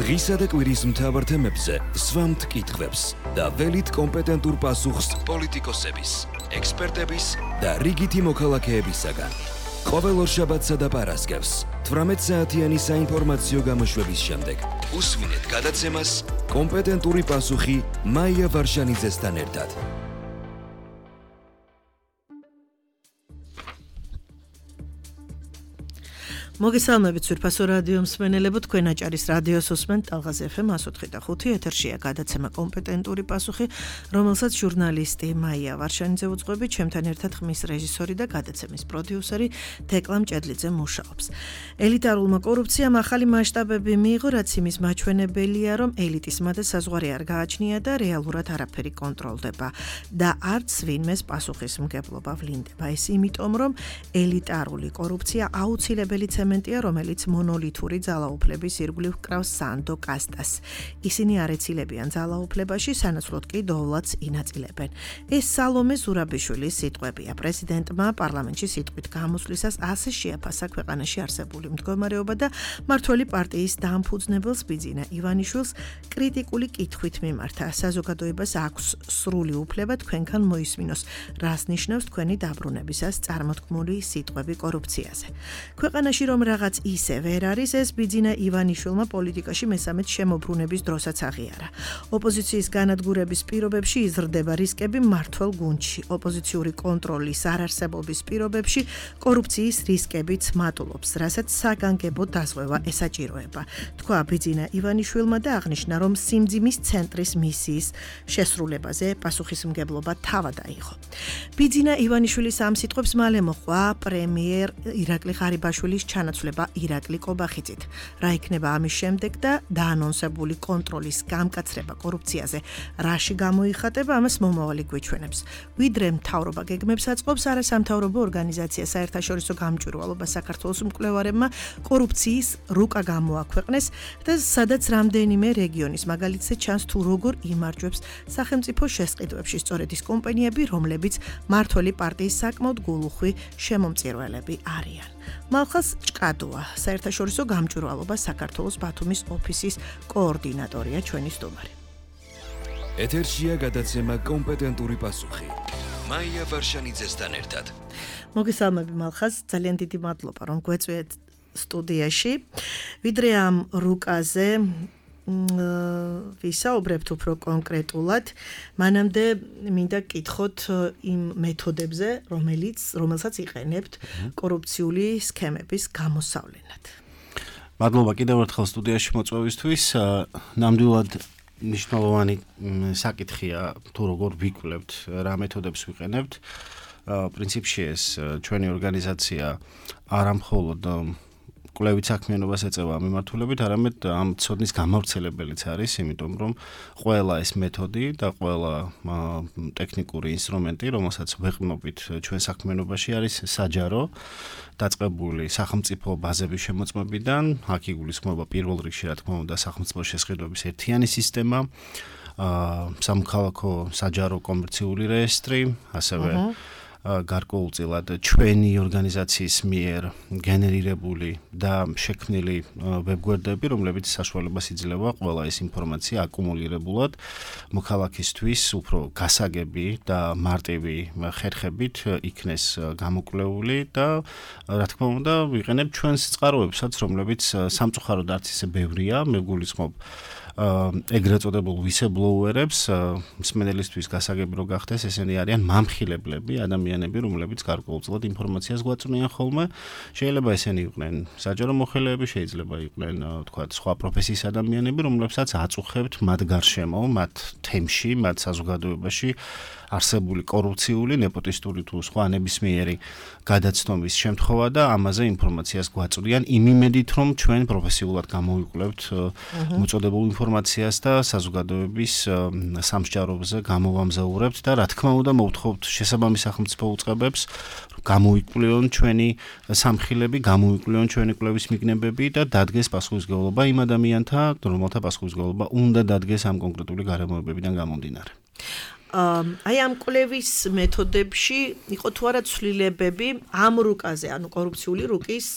დღისა და კვირის მთავარ თემებზე სვამთ კითხვებს და ველით კომპეტენტურ პასუხს პოლიტიკოსების, ექსპერტების და რიგითი მოქალაქეებისაგან. ყოველ ორშაბათსა და პარასკევს 18 საათიანი საინფორმაციო გამოშვების შემდეგ უსმინეთ გადაცემას კომპეტენტური პასუხი მაია ვარშანიძესთან ერთად. მოგესალმებით სვირფასო რადიო მსმენელებო, თქვენ აჭარის რადიოს უსმენთ ტალღაზ FM 104.5 ეთერშია გადაცემა კომპეტენტური პასუხი, რომელსაც ჟურნალისტი მაია ვარშანიძე უძღვები, ჩემთან ერთად ხმის რეჟისორი და გადაცემის პროდიუსერი თეკლა მჭედლიძე მუშაობს. ელიტარულმა კორუფციამ ახალი მასშტაბები მიიღო, რაც იმის მაჩვენებელია, რომ ელიტისმა და საზღვარი არ გააჩნია და რეალურად არაფერი კონტროლდება და არც ვინმეს პასუხისმგებლობა ვლინდება. ეს იმიტომ, რომ ელიტარული კორუფცია აუცილებელი რომელიც მონოლითური ძალაუფლების ირგვლივ კრავს სანდო კასტას. ისინი არ ეცილებიან ძალაუფლებაში, სანაცვლოდ კი დოვლათს ინაწილებენ. ეს სალომე ზურაბიშვილის სიტყვებია. პრეზიდენტმა პარლამენტში სიტყვით გამოსვლისას ასე შეაფასა ქვეყანაში არსებული მდგომარეობა და მმართველი პარტიის დამფუძნებელს ბიძინა ივანიშვილს კრიტიკული კითხვით მიმართა. საზოგადოებას აქვს სრული უფლება თქვენგან მოისმინოს, რას ნიშნავს თქვენი დაბრუნებისას წარმოთქმული სიტყვები კორუფციაზე. ქვეყანაში რომ რაღაც ისე ვერ არის, ეს ბიძინა ივანიშვილმა პოლიტიკაში მესამედ შემოbrunების დროსაც აღიარა. ოპოზიციის განადგურების პირობებში იზრდება რისკები მმართველ გუნდში. ოპოზიციური კონტროლის არარსებობის პირობებში კორუფციის რისკებიც მატულობს, რასაც საგანგებო დაზღვევა ესაჭიროება. თქვა ბიძინა ივანიშვილმა და აღნიშნა, რომ სიმძიმის ცენტრის მისიის შესრულებაზე პასუხისმგებლობა თავად აიღო. ბიძინა ივანიშვილის ამ სიტყვებს მალე მოჰყვა პრემიერ ირაკლი ღარიბაშვილის ჩანაცვლება ირაკლი კობახიძით. რა იქნება ამის შემდეგ და დაანონსებული კონტროლის გამკაცრება კორუფციაზე რაში გამოიხატება, ამას მომავალი გვიჩვენებს. ვიდრე მთავრობა გეგმებს აწყობს, არასამთავრობო ორგანიზაცია საერთაშორისო გამჭვირვალობა საქართველოს მკვლევარებმა კორუფციის რუკა გამოაქვეყნეს და სადაც რამდენიმე რეგიონის მაგალითზე ჩანს თუ როგორ იმარჯვებს სახელმწიფო შესყიდვებში სწორედ ის კომპანიები, რომლებიც მმართველი პარტიის საკმაოდ გულუხვი შემომწირველები არიან. მალხას ჭკადოა, საერთაშორისო გამჭვირვალობა საქართველოს ბათუმის ოფისის კოორდინატორია ჩვენი სტუმარი. ეთერშია გადაცემა კომპეტენტური პასუხი. მაია ვარშანიძესთან ერთად. მოგესალმები მალხას, ძალიან დიდი მადლობა რომ გვეწვიეთ სტუდიაში. ვიდრე ამ რუკაზე ვისაუბრებთ უფრო კონკრეტულად, მანამდე მინდა გკითხოთ იმ მეთოდებზე, რომელსაც იყენებთ კორუფციული სქემების გამოსავლენად. მადლობა კიდევ ერთხელ სტუდიაში მოწვევისთვის. ნამდვილად მნიშვნელოვანი საკითხია თუ როგორ ვიკვლევთ, რა მეთოდებს ვიყენებთ. პრინციპში ეს ჩვენი ორგანიზაცია არა მხოლოდ კვლევით საქმიანობას ეწევა მიმართულებით, არამედ ამ ცოდნის გამავრცელებელიც არის, იმიტომ რომ ყველა ეს მეთოდი და ყველა ტექნიკური ინსტრუმენტი, რომელსაც ვეყრდნობით ჩვენ საქმიანობაში, არის საჯარო, დაწყებული სახელმწიფო ბაზების შემოწმებიდან, აქ იგულისხმება პირველ რიგში, რა თქმა უნდა, სახელმწიფო შესყიდვების ერთიანი სისტემა, სამოქალაქო საჯარო კომერციული რეესტრი, ასევე გარკვეულწილად ჩვენი ორგანიზაციის მიერ გენერირებული და შექმნილი ვებგვერდები, რომლებიც საშუალებას იძლევა ყველა ეს ინფორმაცია აკუმულირებულად მოქალაქისთვის უფრო გასაგები და მარტივი ხერხებით იქნეს გამოკვლეული და რა თქმა უნდა ვიყენებ ჩვენს წყაროებსაც, რომლებიც სამწუხაროდ არც ისე ბევრია, მე გულისხმობ ეგრეთ წოდებულ whistleblower-ებს, მსმენელისთვის გასაგები რო გახდეს, ესენი არიან მამხილებლები, ადამიანები, რომლებიც გარკვეულწილად ინფორმაციას გვაწვდიან ხოლმე. შეიძლება ესენი იყვნენ საჯარო მოხელეები, შეიძლება იყვნენ, თქვათ, სხვა პროფესიის ადამიანები, რომლებსაც აწუხებთ მათ გარშემო, მათ თემში, მათ საზოგადოებაში არსებული კორუფციული, ნეპოტისტური თუ სხვა ნებისმიერი გადაცნობის შემთხვევა და ამაზე ინფორმაციას გვაწვდიან იმ იმედით, რომ ჩვენ პროფესიულად გამოვიკვლევთ მოწოდებულ ინფორმაციას და საზოგადოების სამსჯავროზე გამოვამზაურებთ და რა თქმა უნდა მოვთხოვთ შესაბამის სახელმწიფო უწყებებს გამოიკვლევონ ჩვენი სამხილები, გამოიკვლევონ ჩვენი კვლევის მიგნებები და დადგეს პასუხისმგებლობა იმ ადამიანთა, რომელთა პასუხისმგებლობა უნდა დადგეს ამ კონკრეტული გარემოებებიდან გამომდინარე. აი ამ კვლევის მეთოდებში იყო თუ არა ცვლილებები ამ რუკაზე, ანუ კორუფციული რუკის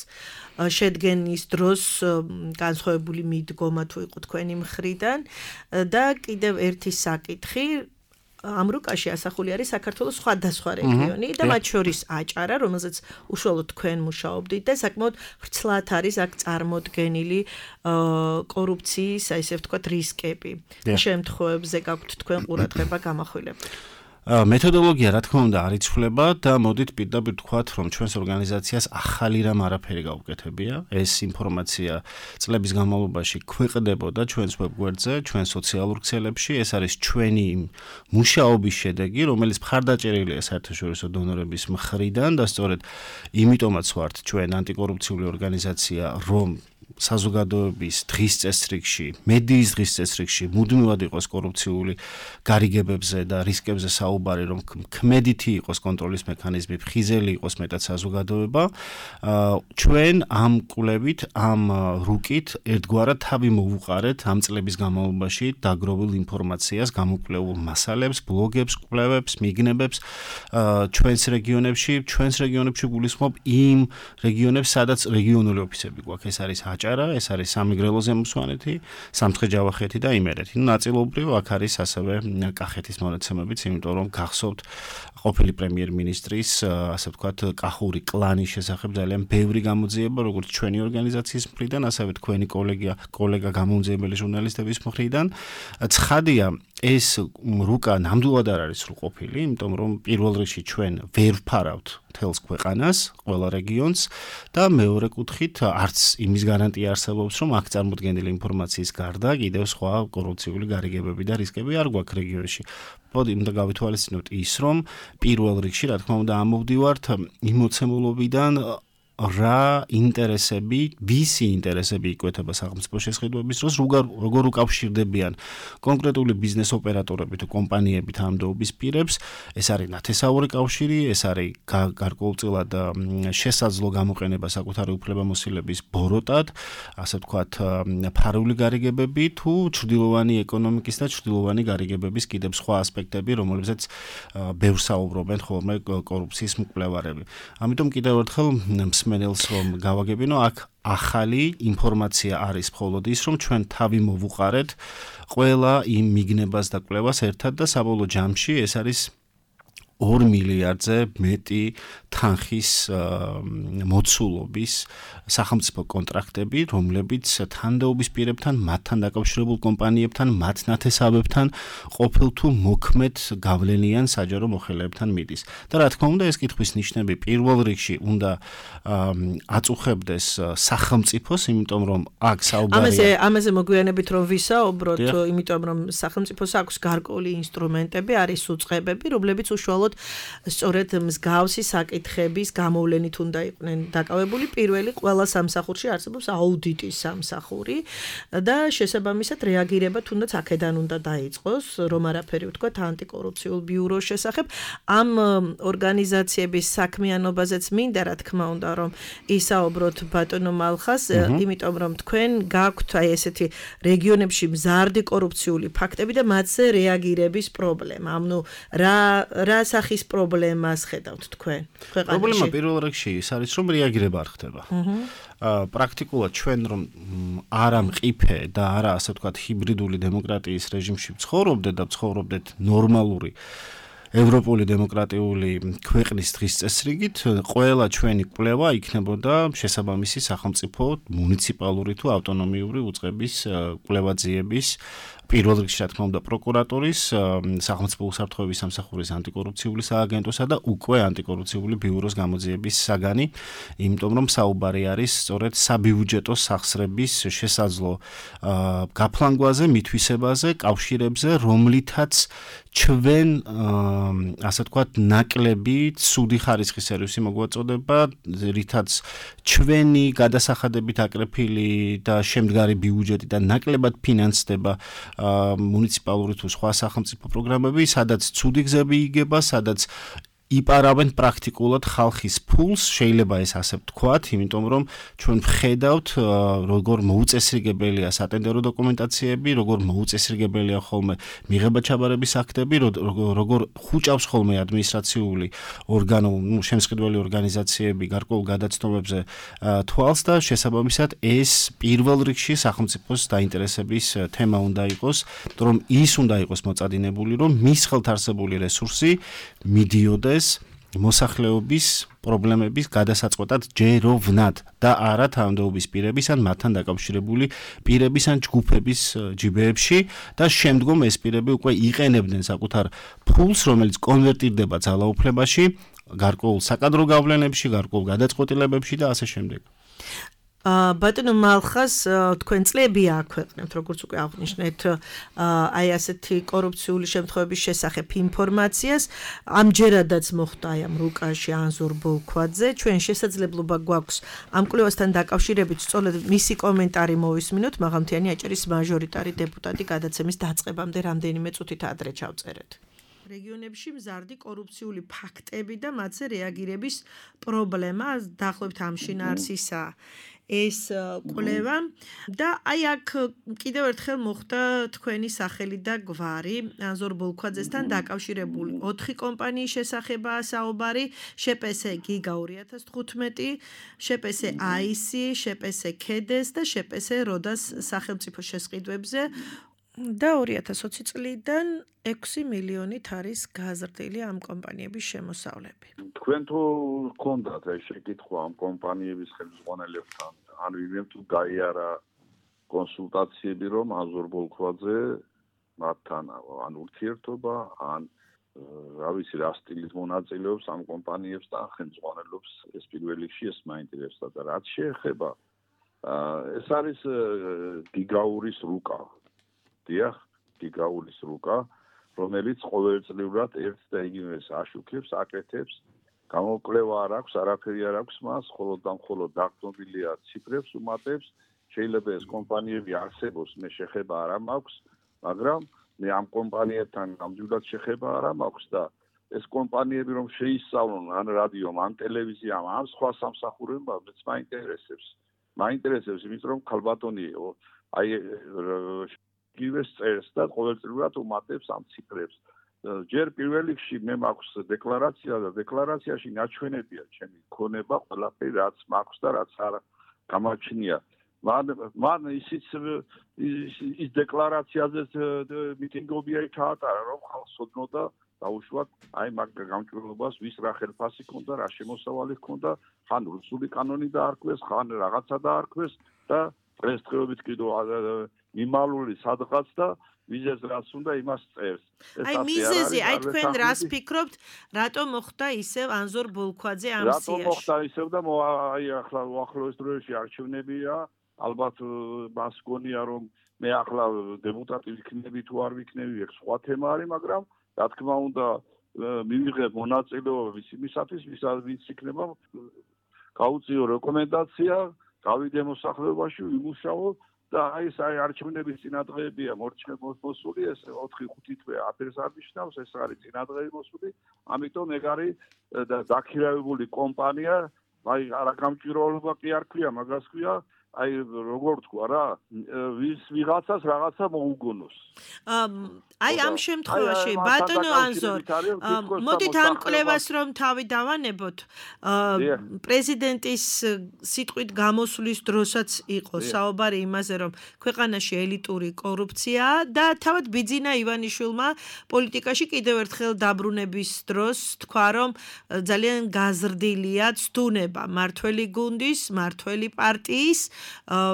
შედგენის დროს განსხვავებული მიდგომა თუ იყო თქვენი მხრიდან და კიდევ ერთი საკითხი ამ რუკაში ასახული არის საქართველოს სხვადასხვა რეგიონი და მათ შორის აჭარა, რომელზეც უშუალოდ თქვენ მუშაობდით და საკმაოდ ვრცლად არის აქ წარმოდგენილი კორუფციის, ესე ვთქვათ, რისკები. შემთხვევებზე გაქვთ თქვენ ყურადღება გამახვილებული. მეთოდოლოგია რა თქმა უნდა არ იცვლება და მოდით პირდაპირ ვთქვათ, რომ ჩვენს ორგანიზაციას ახალი რამ არაფერი გაუკეთებია. ეს ინფორმაცია წლების განმავლობაში ქვეყნდებოდა ჩვენს ვებგვერდზე, ჩვენ სოციალურ ქსელებში. ეს არის ჩვენი მუშაობის შედეგი, რომელიც მხარდაჭერილია საერთაშორისო დონორების მხრიდან და სწორედ იმიტომაც ვართ ჩვენ ანტიკორუფციული ორგანიზაცია, რომ საზოგადოების დღის წესრიგში, მედიის დღის წესრიგში მუდმივად იყოს კორუფციული გარიგებებზე და რისკებზე საუბარი, რომ ქმედითი იყოს კონტროლის მექანიზმი, ფხიზელი იყოს მეტად საზოგადოება. ჩვენ ამ კვლევით, ამ რუკით ერთგვარად თავი მოვუყარეთ ამ წლების განმავლობაში დაგროვილ ინფორმაციას, გამოკვლეულ მასალებს, ბლოგებს, კვლევებს, მიგნებებს ჩვენს რეგიონებში გულისხმობ იმ რეგიონებს, სადაც რეგიონული ოფისები გვაქვს. ეს არის აჭარა, ეს არის სამეგრელო ზემოსვანეთი, სამცხე-ჯავახეთი და იმერეთი. ნაწილობრივ აქ არის ასევე კახეთის მონაცემებიც, იმიტომ რომ გახსოვთ ყოფილი პრემიერ-მინისტრის, ასე ვთქვათ, კახური კლანის შესახებ ძალიან ბევრი გამოძიება, როგორც ჩვენი ორგანიზაციის მხრიდან, ასევე თქვენი კოლეგა გამომძიებელი ჟურნალისტების მხრიდან. ცხადია, ეს რუკა ნამდვილად არ არის სრულყოფილი, იმიტომ რომ პირველ რიგში ჩვენ ვერ ვფარავთ მთელს ქვეყანას, ყველა რეგიონს და მეორე კუთხით არც იმის გარანტია არსებობს, რომ აქ წარმოდგენილი ინფორმაციის გარდა კიდევ სხვა კორუფციული გარიგებები და რისკები არ გვაქვს რეგიონში. მოდი უნდა გავითვალისწინოთ ის, რომ პირველ რიგში, რა თქმა უნდა, ამოვდივართ იმ მოცემულობიდან რა ინტერესები, ვისი ინტერესები იკვეთება სახელმწიფო შესყიდვების დროს, როგორ უკავშირდებიან კონკრეტული ბიზნეს ოპერატორები თუ კომპანიები თანამდებობის პირებს. ეს არის ნათესაური კავშირი, ეს არის გარკვეულწილად შესაძლო გამოყენება საკუთარი უფლებამოსილების ბოროტად, ასე ვთქვათ, ფარული გარიგებები თუ ჩრდილოვანი ეკონომიკის და ჩრდილოვანი გარიგებების კიდევ სხვა ასპექტები, რომლებზეც ბევრ საუბრობენ ხოლმე კორუფციის მკვლევარები. ამიტომ კიდევ ერთხელ მსმენელს რომ გავაგებინო, აქ ახალი ინფორმაცია არის მხოლოდ ის, რომ ჩვენ თავი მოვუყარეთ ყველა იმ მიგნებას და კვლევას ერთად და საბოლოო ჯამში ეს არის 2 მილიარდზე მეტი თანხის მოცულობის სახელმწიფო კონტრაქტები, რომლებიც თანამდებობის პირებთან, მათთან დაკავშირებულ კომპანიებთან, მათ ნათესავებთან ყოფილ თუ მოქმედ გავლენიან საჯარო მოხელეებთან მიდის. და რა თქმა უნდა, ეს კითხვის ნიშნები პირველ რიგში უნდა აწუხებდეს სახელმწიფოს, იმიტომ რომ აქ საუბარია ამაზე მოგვიანებით რომ ვისაუბროთ, იმიტომ რომ სახელმწიფოს აქვს გარკვეული ინსტრუმენტები, არის უწყებები, რომლებიც უშუალოდ სწორედ მსგავსი საკითხების გამოვლენით უნდა იყვნენ დაკავებული. პირველი ყველა სამსახურში არსებობს აუდიტის სამსახური და შესაბამისად რეაგირება თუნდაც აქედან უნდა დაიწყოს, რომ არაფერი ვთქვათ ანტიკორუფციულ ბიუროს შესახებ. ამ ორგანიზაციების საქმიანობაზეც მინდა რა თქმა უნდა რომ ისაუბროთ ბატონო მალხას, იმიტომ რომ თქვენ გაქვთ აი ესეთი რეგიონებში მზარდი კორუფციული ფაქტები და მათზე რეაგირების პრობლემა. ანუ რა სახის პრობლემას ხედავთ თქვენ ქვეყანაში? პრობლემა პირველ რიგში ის არის, რომ რეაგირება არ ხდება. პრაქტიკულად ჩვენ რომ არა მყიფე და არა ასე ვთქვათ ჰიბრიდული დემოკრატიის რეჟიმში ვცხოვრობდეთ და ვცხოვრობდეთ ნორმალური ევროპული დემოკრატიული ქვეყნის დღის წესრიგით, ყველა ჩვენი კვლევა იქნებოდა შესაბამისი სახელმწიფო მუნიციპალური თუ ავტონომიური უწყების კვლევაძიების პირველ რიგში რა თქმა უნდა პროკურატურის, სახელმწიფო უსაფრთხოების სამსახურის ანტიკორუფციული სააგენტოსა და უკვე ანტიკორუფციული ბიუროს გამოძიების საგანი, იმიტომ რომ საუბარი არის სწორედ საბიუჯეტო სახსრების შესაძლო გაფლანგვაზე, მითვისებაზე, კავშირებზე, რომლითაც ჩვენ ასე ვთქვათ ნაკლები ცუდი ხარისხის სერვისი მოგვაწოდება, რითაც ჩვენი გადასახადებით აკრეფილი და შემდგარი ბიუჯეტი და ნაკლებად ფინანსდება მუნიციპალური თუ სხვა სახელმწიფო პროგრამები, სადაც ცუდი გზები იგება, სადაც იპარავენ პრაქტიკულად ხალხის ფულს, შეიძლება ეს ასე ვთქვათ, იმიტომ რომ ჩვენ ვხედავთ როგორ მოუწესრიგებელია სატენდერო დოკუმენტაციები, როგორ მოუწესრიგებელია ხოლმე მიღება-ჩაბარების აქტები, როგორ ხუჭავს ხოლმე ადმინისტრაციული ორგანო, შემსყიდველი ორგანიზაციები გარკვეულ გადაცნობებზე თვალს და შესაბამისად ეს პირველ რიგში სახელმწიფოს დაინტერესების თემა უნდა იყოს, რომ ის უნდა იყოს მოწადინებული, რომ მის ხელთ არსებული რესურსი მიდიოდეს მოსახლეობის პრობლემების გადასაწყვეტად ჯეროვნად და არა თანამდებობის პირების ან მათთან დაკავშირებული პირების ან ჯგუფების ჯიბეებში და შემდგომ ეს პირები უკვე იყენებდნენ საკუთარ ფულს, რომელიც კონვერტირდება ძალაუფლებაში, გარკვეულ საკადრო გავლენებში, გარკვეულ გადაწყვეტილებებში და ასე შემდეგ. ბატონო მალხას თქვენ წლები აქვეყნებთ, როგორც უკვე აღნიშნეთ, აი ასეთი კორუფციული შემთხვევების შესახებ ინფორმაციას. ამჯერადაც მოხდა აი ამ რუკაში ანზორ ბოლქვაძე. ჩვენ შესაძლებლობა გვაქვს ამ კვლევასთან დაკავშირებით სწორედ მისი კომენტარი მოვისმინოთ, მაღალმთიანი აჭარის მაჟორიტარი დეპუტატი გადაცემის დაწყებამდე რამდენიმე წუთით ადრე ჩავწერეთ. რეგიონებში მზარდი კორუფციული ფაქტები და მათზე რეაგირების პრობლემა დაახლოებით ამ შინაარსისაა ეს კვლევა და აი აქ კიდევ ერთხელ მოხდა თქვენი სახელი და გვარი ანზორ ბოლქვაძესთან დაკავშირებული 4 კომპანიის შესახებაა საუბარი: შპს გიგა 2015, შპს აისი, შპს ქედეს და შპს როდას სახელმწიფო შესყიდვებზე და 2020 წლიდან 6 მილიონით არის გაზრდილი ამ კომპანიების შემოსავლები. თქვენ თუ გქონდათ ეს შეკითხვა ამ კომპანიების ხელმძღვანელებთან, ან ვინმე თუ გაიარა კონსულტაციები, რომ ანზორ ბოლქვაძე მათთან ან ურთიერთობა, ან რა ვიცი რა სტილის მონაწილეობს ამ კომპანიებს და ხელმძღვანელობს, ეს პირველ რიგში ეს მაინტერესდა და რაც შეეხება ეს არის გიგაურის რუკა. დიახ, გიგაურის რუკა, რომელიც ყოველწლიურად ერთ და იგივეს აშუქებს, აკეთებს, გამოკვლევა არ აქვს, არაფერი არ აქვს მას, მხოლოდ და მხოლოდ დაგდობილია ციფრებს უმატებს, შეიძლება ეს კომპანიები არსებობს, მე შეხება არ მაქვს, მაგრამ მე ამ კომპანიებთან ნამდვილად შეხება არ მაქვს და ეს კომპანიები რომ შეისწავლონ ან რადიომ, ან ტელევიზიამ, ან სხვა სამსახურებამ, მეც მაინტერესებს. მაინტერესებს, იმიტომ რომ ქალბატონი აი გივეს წერს და ყოველწლიურად უმატებს ამ ციფრებს. ჯერ პირველ რიგში მე მაქვს დეკლარაცია და დეკლარაციაში ნაჩვენებია ჩემი ქონება, ყველაფერი რაც მაქვს და რაც არ გამაჩნია. მან ისიც ის დეკლარაციაზე მიტინგობია ჩაატარა, რომ ხალხს ოდნოდა დაუშვათ აი მაგ გამჭვირვალობას ვის რა ხელფასი ქონდა, რა შემოსავალი ქონდა, ხან რუსული კანონი დაარქვეს, ხან რაღაცა დაარქვეს და დღესდღეობით კიდევ მიმალული სადღაც და ვიზეს რაც უნდა იმას წერს. აი მიზეზი, აი თქვენ რას ფიქრობთ, რატომ მოხდა ისევ ანზორ ბოლქვაძე ამ სიაში? რატომ მოხდა ისევ და აი ახლა უახლოეს დროებში არჩევნებია, ალბათ მას გონია რომ მე ახლა დეპუტატი ვიქნები თუ არ ვიქნები, ეს სხვა თემა არის, მაგრამ რა თქმა უნდა მივიღებ მონაწილეობა იმისათვის, ვინც იქნება გაუწიო რეკომენდაცია, გავიდე მოსახლეობაში, ვიმუშაო და აი ეს არჩევნების წინადღეებია მოსული, ეს 4-5 თვე აფერს არ ნიშნავს, ეს არის წინადღეები მოსული, ამიტომ ეგ არის დაქირავებული კომპანია, აი არა გამჭვირვალობა კი არ ქვია, მაგას ქვია, აი როგორ თქვა რა, ვიღაცას რაღაცა მოუგონოს. აი ამ შემთხვევაში ბატონო ანზორ, მოდით ამ კვლევას რომ თავი დავანებოთ, პრეზიდენტის სიტყვით გამოსვლის დროსაც იყო საუბარი იმაზე, რომ ქვეყანაში ელიტური კორუფციაა და თავად ბიძინა ივანიშვილმა პოლიტიკაში კიდევ ერთხელ დაბრუნების დროს თქვა, რომ ძალიან გაზრდილია ცდუნება მართველი გუნდის, მართველი პარტიის,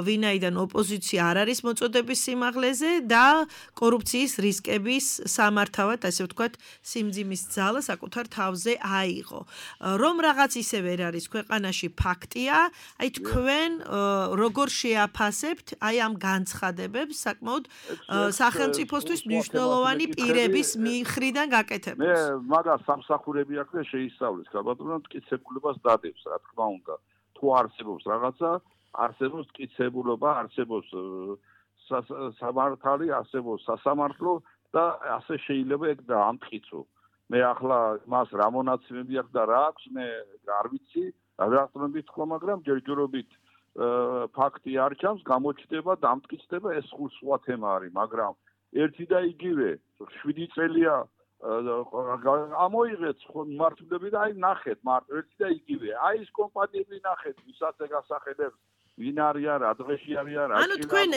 ვინაიდან ოპოზიცია არ არის მოწოდების სიმაღლეზე და კორუფციის რისკების სამართავად, ასე ვთქვათ, სიმძიმის ძალა საკუთარ თავზე აიღო. რომ რაღაც ისე ვერ არის ქვეყანაში ფაქტია, აი თქვენ როგორ შეაფასებთ აი ამ განცხადებებს საკმაოდ სახელმწიფოსთვის მნიშვნელოვანი პირების მხრიდან გაკეთებას? მე მაგას სამსახურები აქვს და შეისწავლეს, ქალბატონო მტკიცებულებას დადებს, რა თქმა უნდა. თუ არსებობს რაღაცა, არსებობს მტკიცებულობა, არსებობს სამართალი, არსებობს სასამართლო და ასე შეიძლება ეგ დაამტკიცო. მე ახლა მას რა მონაცემები აქვს და რა აქვს მე არ ვიცი რატომებით თქვა მაგრამ ჯერჯერობით ფაქტი არ ჩანს გამოჩნდება დამტკიცდება ეს სხვა თემა არის მაგრამ ერთი და იგივე 7 წელია ამოიღეთ მართლები და აი ნახეთ მარტო ერთი და იგივე აი ეს კომპანიები ნახეთ ვისაც ეგასახელებს ვინ არიან რა დღეში არიან რა ანუ თქვენ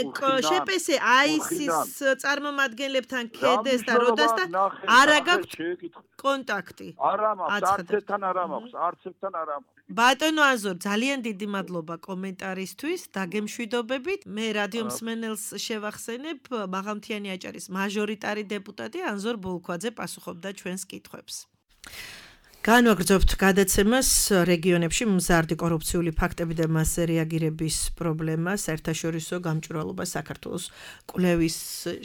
შეპესე აისის წარმომადგენლებთან ქედეს და როდას და არა გაქვთ კონტაქტი არა მაქვს არც ერთთან არა მაქვს ბატონო აზორ ძალიან დიდი მადლობა კომენტარისთვის დაგემშვიდობებით მე რადიო მსმენელს შევახსენებ მაღალმთიანი აჭარის მაჟორიტარი დეპუტატი ანზორ ბოლქვაძე პასუხობდა ჩვენს კითხვებს განვაგრძობთ გადაცემას რეგიონებში მზარდი კორუფციული ფაქტები და მასზე რეაგირების პრობლემა საერთაშორისო გამჭვირვალობა საქართველოს კვლევის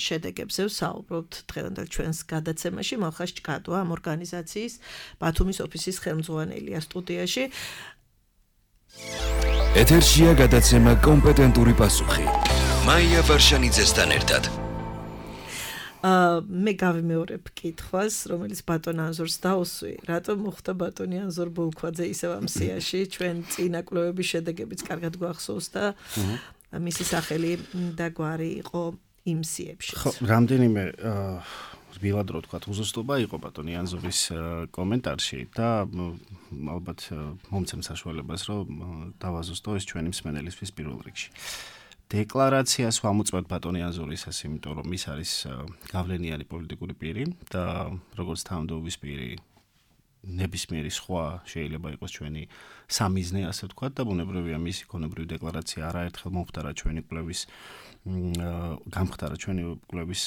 შედეგებზე ვსაუბრობთ დღევანდელ ჩვენს გადაცემაში მალხას ჭკატვა ამ ორგანიზაციის ბათუმის ოფისის ხელმძღვანელია სტუდიაში ეთერშია გადაცემა კომპეტენტური პასუხი მაია ვარშანიძესთან ერთად მე გავიმეორებ კითხვას, რომელიც ბატონ ანზორს დაუსვი. რატომ მოხდა ბატონი ანზორ ბოლქვაძე ისევ ამ სიაში? ჩვენ წინა კვლევების შედეგებიც კარგად გვახსოვს და მისი სახელი და გვარი იყო იმ სიებში. ხო, რამდენიმე რბილად რო თქვა, უზუსტობა იყო ბატონი ანზორის კომენტარში და ალბათ მომცემ საშუალებას, რომ დავაზუსტო ეს ჩვენი მსმენელისთვის პირველ რიგში. დეკლარაციას ვამოწმებთ ბატონი ანზორისას, იმიტომ რომ ის არის გავლენიანი პოლიტიკური პირი და როგორც თავმჯდომარის პირი ნებისმიერი სხვა შეიძლება იყოს ჩვენი სამიზნე, ასე ვთქვათ, და ბუნებრივია მისი ქონებრივი დეკლარაცია არაერთხელ მომხდარა ჩვენი კვლევის გამხდარა ჩვენი კვლევის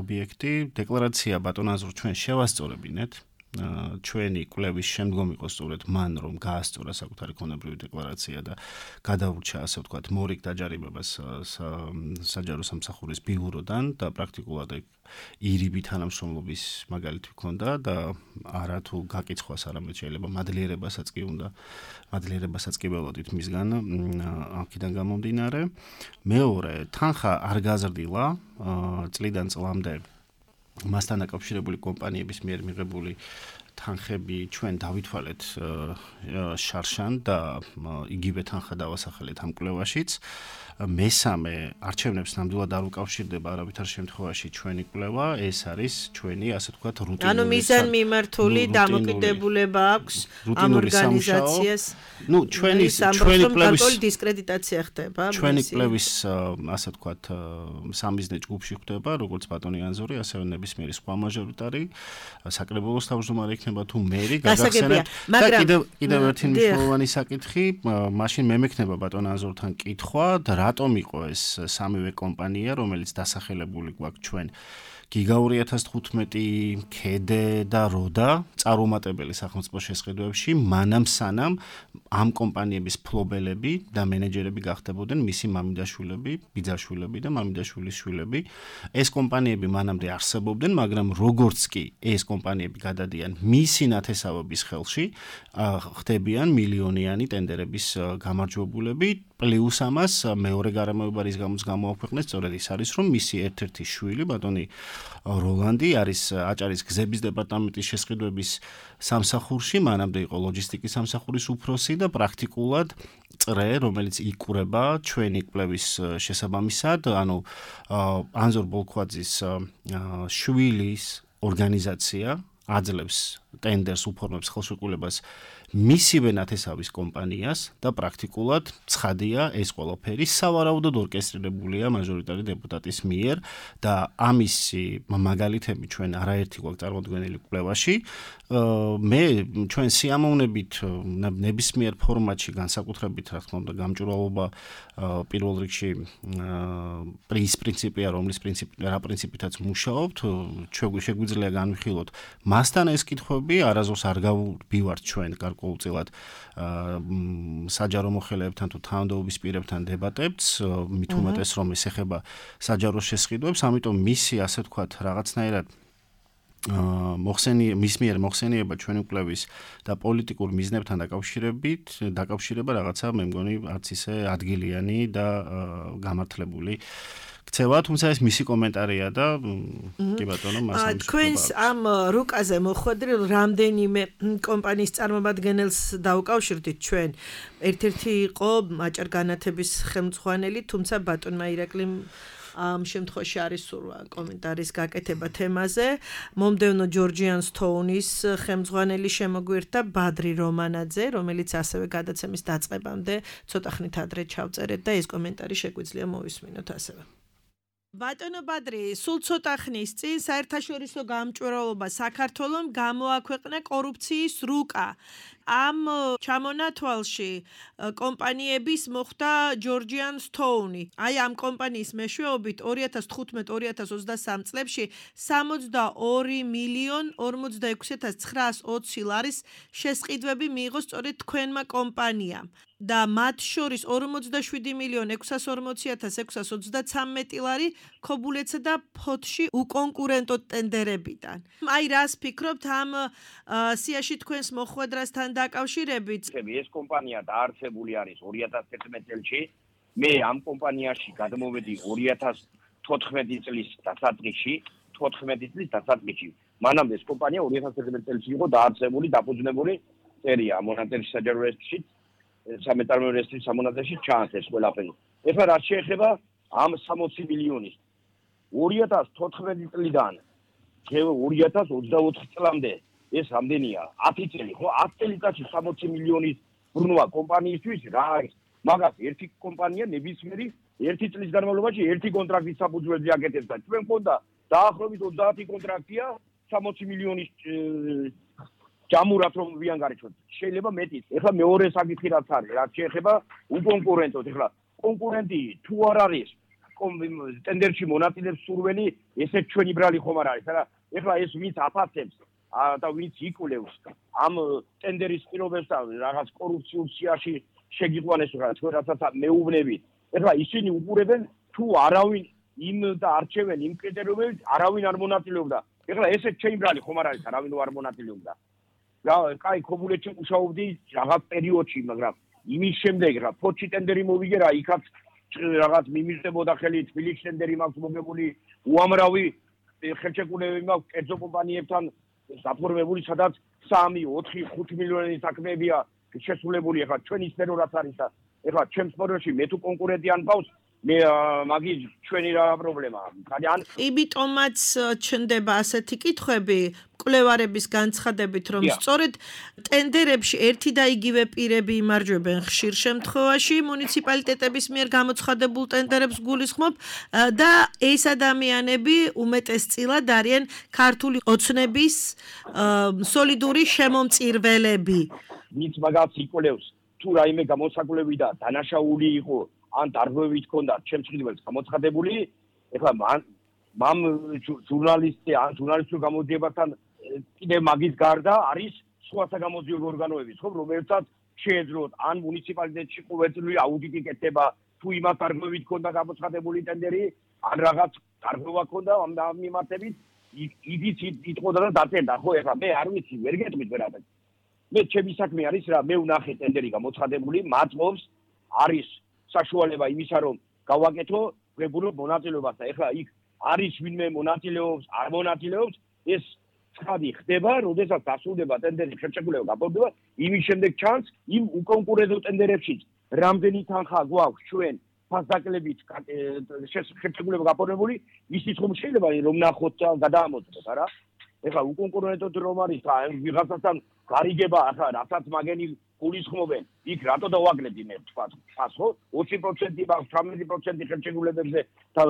ობიექტი. დეკლარაცია ბატონ ანზორ ჩვენ შევასწორებინეთ. ჩვენი კვლევის შემდგომ იყო სწორედ მან რომ გაასწორა საკუთარი ქონებრივი დეკლარაცია და გადაურჩა ასე ვთქვათ მორიგ დაჯარიმებას საჯარო სამსახურის ბიუროდან და პრაქტიკულად ირიბი თანამშრომლობის მაგალითი ჰქონდა და არა თუ გაკიცხვას არამედ შეიძლება მადლიერებასაც კი ველოდით მისგან აქედან გამომდინარე. მეორე, თანხა არ გაზრდილა წლიდან წლამდე მასთან დაკავშირებული კომპანიების მიერ მიღებული თანხები ჩვენ დავითვალეთ შარშან და იგივე თანხა დავასახელეთ ამ კვლევაშიც. მესამე, არჩევნებს ნამდვილად არ უკავშირდება არავითარ შემთხვევაში ჩვენი კვლევა, ეს არის ჩვენი ასე ვთქვათ რუტინული ანუ მიზანმიმართული დამოკიდებულება აქვს ამ ორგანიზაციას. ნუ ჩვენი კვლევის დისკრედიტაცია ხდება. ჩვენი კვლევის ასე ვთქვათ სამიზნე ჯგუფში ხდება, როგორც ბატონი ანზორი, ასევე ნებისმიერი სხვა მაჟორიტარი, საკრებულოს თავმჯდომარე იქნება თუ მერი, გაგახსენებთ. და კიდევ ერთი მნიშვნელოვანი საკითხი, მაშინ მე მექნება ბატონ ანზორთან კითხვა და რატომ იყო ეს სამივე კომპანია, რომელიც დასახელებული გვაქვს ჩვენ გიგაური 1015, ქედე და როდა წარუმატებელი სახელმწიფო შესყიდვებში, მანამ სანამ ამ კომპანიების ფლობელები და მენეჯერები გახდებოდნენ მისი მამიდაშვილები, ბიძაშვილები და მამიდაშვილის შვილები. ეს კომპანიები მანამდე არსებობდნენ, მაგრამ როგორც კი ეს კომპანიები გადადიან მისი ნათესავების ხელში, ხდებიან მილიონიანი ტენდერების გამარჯვებულები. პლუს ამას მეორე გარემოება რის გამოც გამოაქვეყნეს, სწორედ ის არის, რომ მისი ერთ-ერთი შვილი, ბატონი როლანდი არის აჭარის გზების დეპარტამენტის შესყიდვების სამსახურში, მანამდე იყო ლოჯისტიკის სამსახურის უფროსი და პრაქტიკულად წრე, რომელიც იკურება ჩვენი კვლევის შესაბამისად, ანუ ანზორ ბოლქვაძის შვილის ორგანიზაცია აძლევს ტენდერს, უფორმებს ხელშეკრულებას მისივე ნათესავის კომპანიას და პრაქტიკულად ცხადია ეს ყველაფერი სავარაუდოდ ორკესტრირებულია მაჟორიტარი დეპუტატის მიერ და ამისი მაგალითები ჩვენ არაერთი გვაქვს წარმოდგენილი კვლევაში. მე ჩვენ სიამოვნებით ნებისმიერ ფორმატში განსაკუთრებით რა თქმა უნდა გამჭვირვალობა პირველ რიგში ის პრინციპია, რომლის პრინციპითაც მუშაობთ, შეგვიძლია განვიხილოთ მასთან ეს კითხვები, არასდროს არ გავბივართ ჩვენ გარკვეულწილად საჯარო მოხელეებთან თუ თავმჯდომარის პირებთან დებატებს, მით უმეტეს რომ ეს ეხება საჯარო შესყიდვებს, ამიტომ მისი ასე ვთქვათ რაღაცნაირად მის მიერ მოხსენიება ჩვენი კვლევის და პოლიტიკურ მიზნებთან დაკავშირება რაღაცა მე მგონი არც ისე ადგილიანი და გამართლებული ქცევა, თუმცა ეს მისი კომენტარია და კი ბატონო, მას თქვენს ამ რუკაზე მოხვედრილ რამდენიმე კომპანიის წარმომადგენელს დაუკავშირდით ჩვენ. ერთ-ერთი იყო აჭარ-განათების ხელმძღვანელი, თუმცა ბატონმა ირაკლიმ ამ შემთხვევაში არის სურვა კომენტარის გაკეთება თემაზე. მომდევნო ჯორჯიან სტოუნის ხელმძღვანელი შემოგვირთა ბადრი რომანაძე, რომელიც ასევე გადაცემის დაწყებამდე ცოტა ხნით ადრე ჩავწერეთ და ეს კომენტარი შეგვიძლია მოვისმინოთ ასევე. ბატონო ბადრი, სულ ცოტა ხნის წინ საერთაშორისო გამჭვირვალობა საქართველომ გამოაქვეყნა კორუფციის რუკა. ამ ჩამონათვალში კომპანიების მოხვდა ჯორჯიან სტოუნი. აი ამ კომპანიის მეშვეობით 2015-2023 წლებში 62.446.920 ლარის შესყიდვები მიიღო სწორედ თქვენმა კომპანიამ. და მათ შორის 47.640.633 ლარი ქობულეთსა და ფოთში უკონკურენტო ტენდერებიდან. აი რას ფიქრობთ ამ სიაში თქვენს მოხვედრასთან დაკავშირებით? ეს კომპანია დაარსებული არის 2011 წელში. მე ამ კომპანიაში გადმოვედი 2014 წლის დასაწყისში. მანამდე ეს კომპანია 2011 წელს იყო დაარსებული, დაფუძნებული წერია მონასტერში საჯარო რესტში, სამეთარმო რესტრის სამონასტერში ჩანს ეს ყველაფერი. ეხლა რაც შეეხება ამ 60 მილიონის 2014 წლიდან 2024 წლამდე ეს რამდენია? 10 წელი, ხო? 10 წელიწადში 60 მილიონის ბრუნვა კომპანიისთვის რა არის? მაგას ერთი კომპანია ნებისმიერი ერთი წლის განმავლობაში ერთი კონტრაქტის საფუძველზე აკეთებს და ჩვენ მქონდა დაახლოებით 30 კონტრაქტია 60 მილიონის ჯამურად რომ ვიანგარიშოთ. შეიძლება მეტიც. ეხლა მეორე საკითხი რაც არის, რაც შეეხება უკონკურენტოდ. ეხლა კონკურენტი თუ არ არის ტენდერში მონაწილეებს სურველი, ესე ჩვენი ბრალი ხომ არ არის. ეხლა ეს ვინც აფასებს და ვინც იკვლევს ამ ტენდერის პირობებს და რაღაც კორუფციულ სიაში შეგიყვანეს რა თქვენ რასაც მეუბნებით. ეხლა ისინი უყურებენ თუ არავინ იმ და არჩევენ იმ კრიტერიუმებით არავინ არ მონაწილეობდა. ეხლა ესე ჩემი ბრალი ხომ არ არის, არავინ არ მონაწილეობდა. კაი, ქობულეთში მუშაობდი რაღაც პერიოდში, მაგრამ იმის შემდეგ რა ფოთში ტენდერი მოვიგე რა, იქაც რაღაც მიმიღებოდა ხელი თბილისში ტენდერი მაქვს მოგებული, უამრავი ხელშეკრულებები მაქვს კერძო კომპანიებთან დაფორმებული, სადაც 3, 4, 5 მილიონი საქმეებია შესრულებული. ეხლა ჩვენი სფერო რაც არის და ეხლა ჩემს სფეროში მე თუ კონკურენტი ან პავს მე მაგის ჩვენი რა პრობლემაა. იმიტომაც ჩნდება ასეთი კითხვები მკვლევარების განცხადებით, რომ სწორედ ტენდერებში ერთი და იგივე პირები იმარჯვებენ ხშირ შემთხვევაში მუნიციპალიტეტების მიერ გამოცხადებულ ტენდერებს გულისხმობ და ეს ადამიანები უმეტესწილად არიან ქართული ოცნების სოლიდური შემომწირველები. ვინც მაგას იკვლევს, თუ რაიმე გამოსაკვლევი და დანაშაული იყო ან დარღვევით ჰქონდა ჩემს მხედველს გამოცხადებული, ეხლა მამ ჟურნალისტი ან ჟურნალისტურ გამოძიებასთან კიდევ მაგის გარდა არის სხვა საგამოძიებო ორგანოები, ხო, რომელთაც შეეძლოთ ან მუნიციპალიტეტში ყოველწლიური აუდიტი კეთდება, თუ იმას დარღვევით ჰქონდა გამოცხადებული ტენდერი, ან რაღაც დარღვევა ჰქონდა ამ მიმართებით, იდიც იტყოდა და დაწერდა, ხო, ეხლა მე არ ვიცი, ვერ გეტყვით ვერაფერს. მე ჩემი საქმე არის რა, მე ვნახე ტენდერი გამოცხადებული, მაწყობს არის საშუალება იმისა, რომ გავაკეთო ღებულობ მონაწილეობას და ეხლა იქ არის ვინმე მონაწილეობს, არ მონაწილეობს, ეს ცხადი ხდება, როდესაც დასრულდება ტენდერის ხელშეკრულება გაფორმდება, იმის შემდეგ ჩანს იმ უკონკურენტო ტენდერებში რამდენი თანხა გვაქვს ჩვენ ფასდაკლებით ხელშეკრულება გაფორმებული, ისიც ხომ შეიძლება რომ ნახოთ და გადაამოწმოთ, არა? ეხლა უკონკურენტოდ რომ არის და ვიღაცასთან გარიგება, ახლა რასაც მაგენი გულისხმობენ, იქ რატო დავაგლებდი მე თქვა, ხო? 20% მაქვს, 18% ხელშეკრულებებზე და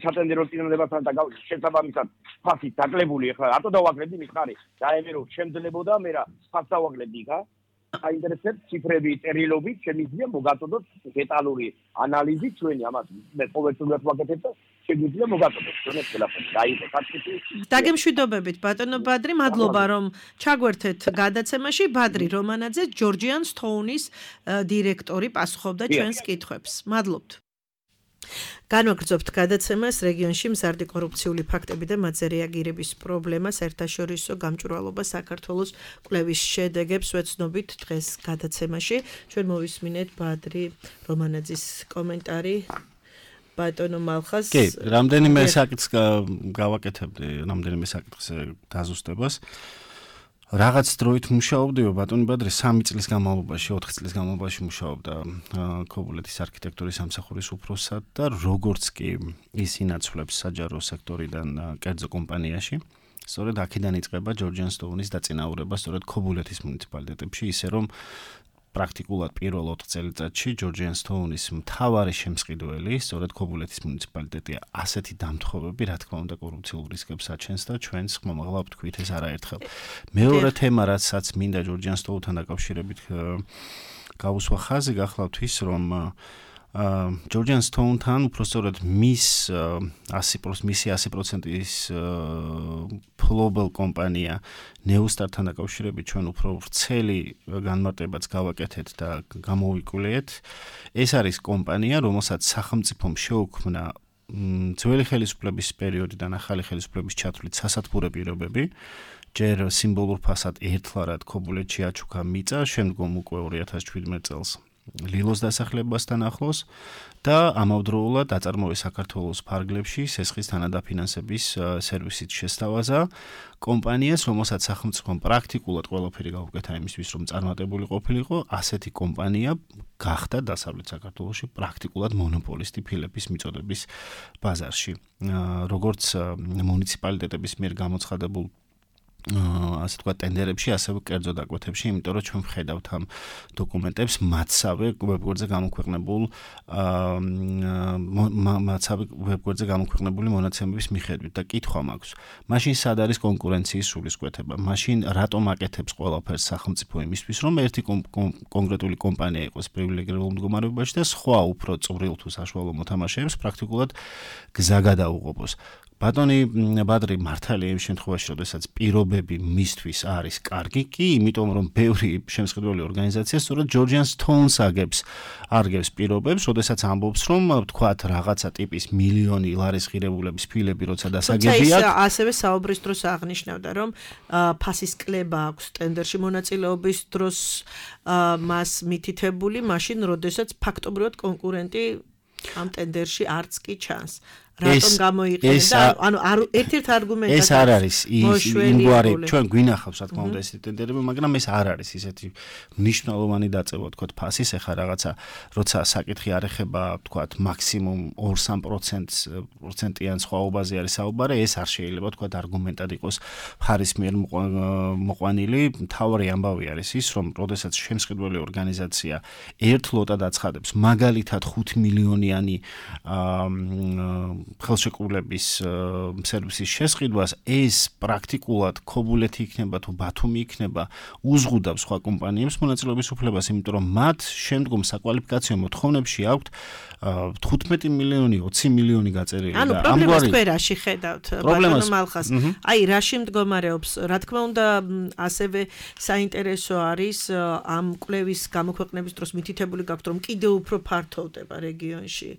სატენდერო წინააღმდეგობასთან და შესაბამისად ფასი დაკლებული, ეხლა რატო დავაგლებდი მიხარი? დაემერო შემძლებოდა მე რა ფასს დავაგლებდი, ხა? აინტერესებს ციფრები, წერილობით, შემიძლია მოგაწოდოთ დეტალური ანალიზი ჩვენი ამას მე ყოველწლიურად ვაკეთებ და შეგვიძლია მოგაწოდოთ ჩვენს ყველაფერს. დაიწყო საკითხი. დაგემშვიდობებით ბატონო ბადრი, მადლობა რომ ჩაგვერთეთ გადაცემაში. ბადრი რომანაძე, ჯორჯიან სტოუნის დირექტორი, პასუხობდა ჩვენს კითხვებს. მადლობთ. განვაგრძობთ გადაცემას რეგიონში მზარდი კორუფციული ფაქტები და მათზე რეაგირების პრობლემა საერთაშორისო გამჭვირვალობა საქართველოს კვლევის შედეგებს ვეცნობით დღეს გადაცემაში. ჩვენ მოვისმინეთ ბადრი რომანაძის კომენტარი ბატონო მალხას კი, რამდენიმე საკითხს გავაკეთებდი, რამდენიმე საკითხს დაზუსტებას. რაღაც დროით მუშაობდიო ბატონი ბადრი 3 წლის განმავლობაში, 4 წლის განმავლობაში მუშაობდა ქობულეთის არქიტექტურის სამსახურის უფროსად და როგორც კი ის ინაცვლებს საჯარო სექტორიდან კერძო კომპანიაში, სწორედ აქედან იწყება ჯორჯიან სტოუნის დაწინაურება სწორედ ქობულეთის მუნიციპალიტეტებში, ისე რომ პრაქტიკულად პირველ 4 წელიწადში ჯორჯიან სტოუნის მთავარი შემსყიდველი სწორედ ქობულეთის მუნიციპალიტეტია. ასეთი დამთხოვები, რა თქმა უნდა, კორუფციულ რისკებს აჩენს და ჩვენს ხმამაღლა ვთქვით ეს არაერთხელ. მეორე თემა, რასაც მინდა ჯორჯიან სტოუნთან დაკავშირებით გავუსვა ხაზი, გახლავთ ის, რომ ჯორჯიან სტოუნთან უბრალოდ მისი 100%-ის ფლობელ კომპანია ნეუსტართან დაკავშირებით ჩვენ უფრო ვრცელი განმარტებაც გავაკეთეთ და გამოვიკვლიეთ. ეს არის კომპანია, რომელსაც სახელმწიფომ შეუქმნა ძველი ხელისუფლების პერიოდიდან ახალი ხელისუფლების ჩათვლით სასათბურე პირობები. ჯერ სიმბოლურ ფასად ერთლარად ქობულეთში აჩუქა მიწა, შემდგომ უკვე 2017 წელს ლილოს დასახლებასთან ახლოს და ამავდროულად აწარმოეს საქართველოს ფარგლებში სესხის თანადაფინანსების სერვისით შესთავაზა კომპანიას, რომელსაც სახელმწიფომ პრაქტიკულად ყველაფერი გაუკეთა იმისთვის, რომ წარმატებული ყოფილიყო, ასეთი კომპანია გახდა დასავლეთ საქართველოში პრაქტიკულად მონოპოლისტი ფილების მიწოდების ბაზარში. როგორც მუნიციპალიტეტების მიერ გამოცხადებულ ასე თქვა ტენდერებში, ასევე კერძო დაკვეთებში, იმიტომ რომ ჩვენ ვხედავთ ამ დოკუმენტებს მათსავე ვებგვერდზე გამოქვეყნებული მონაცემების მიხედვით და კითხვა მაქვს. მაშინ სად არის კონკურენციის სულისკვეთება? მაშინ რატომ აკეთებს ყველაფერს სახელმწიფო იმისთვის, რომ ერთი კონკრეტული კომპანია იყოს პრივილეგირებულ მდგომარეობაში და სხვა უფრო წვრილ თუ საშუალო მოთამაშეებს პრაქტიკულად გზა გადაუღობოს. ბატონი ბადრი მართალია იმ შემთხვევაში, როდესაც პირობები მისთვის არის კარგი, კი, იმიტომ რომ ბევრი შემსყიდველი ორგანიზაცია სწორედ ჯორჯიან სტოუნს არგებს პირობებს, როდესაც ამბობს, რომ თქვათ რაღაცა ტიპის მილიონი ლარის ღირებულების ფილები როცა დასაგებია. თუმცა ასევე საუბრის დროს აღნიშნავდა, რომ ფასის კლება აქვს ტენდერში მონაწილეობის დროს მას მითითებული, მაშინ როდესაც ფაქტობრივად კონკურენტი ამ ტენდერში არც კი ჩანს. რატომ გამოიყენე და ანუ ერთ-ერთ არგუმენტად ეს არ არის იმგვარი ჩვენ გვინახავს რა თქმა უნდა ეს ტენდერები, მაგრამ ეს არ არის ისეთი მნიშვნელოვანი დაწევა თქვა ფასის, ეხა რაღაცა როცა საკითხი არ ეხება თქვა მაქსიმუმ 2-3%-იან სხვაობაზე არის საუბარი, ეს არ შეიძლება თქვა არგუმენტად იყოს ფარის მიერ მოყვანილი. მთავარი ამბავი არის ის, რომ როდესაც შემსყიდველი ორგანიზაცია ერთ ლოტად აცხადებს მაგალითად 5 მილიონიანი ხელშეკრულების სერვისის შესყიდვას, ეს პრაქტიკულად ქობულეთი იქნება თუ ბათუმი იქნება, უზღუდავს სხვა კომპანიებს მონაწილეობის უფლებას, იმიტომ რომ მათ შემდგომ საკვალიფიკაციო მოთხოვნებში აქვთ 15 მილიონი, 20 მილიონი გაწერილი და ამგვარი პრობლემას სფეროში ხედავთ ბატონო მალხას. აი, რაში მდგომარეობს, რა თქმა უნდა, ასევე საინტერესო არის ამ კვლევის გამოქვეყნების დროს მითითებული გაქვთ, რომ კიდევ უფრო ფართოვდება რეგიონში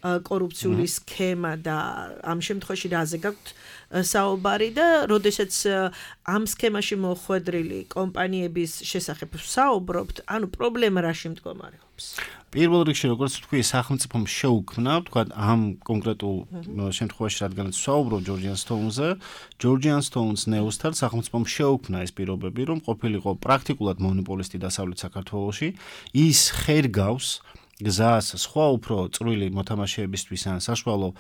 კორუფციული სქემა და ამ შემთხვევაში რაზე გაქვთ საუბარი და როდესაც ამ სქემაში მოხვედრილი კომპანიების შესახებ საუბრობთ, ანუ პრობლემა რაში მდგომარეობს? პირველ რიგში, როგორც ვთქვი, სახელმწიფომ შეუქმნა, თქვა ამ კონკრეტულ შემთხვევაში, რადგანაც საუბრობ ჯორჯიან სტოუნზე, ჯორჯიან სტოუნს ნეუსტარ სახელმწიფომ შეუქმნა ეს პირობები, რომ ყოფილიყო პრაქტიკულად მონოპოლისტი დასავლეთ საქართველოში, ის ხერგავს გზას სხვა უფრო წვრილი მოთამაშეებისთვის ან საშუალო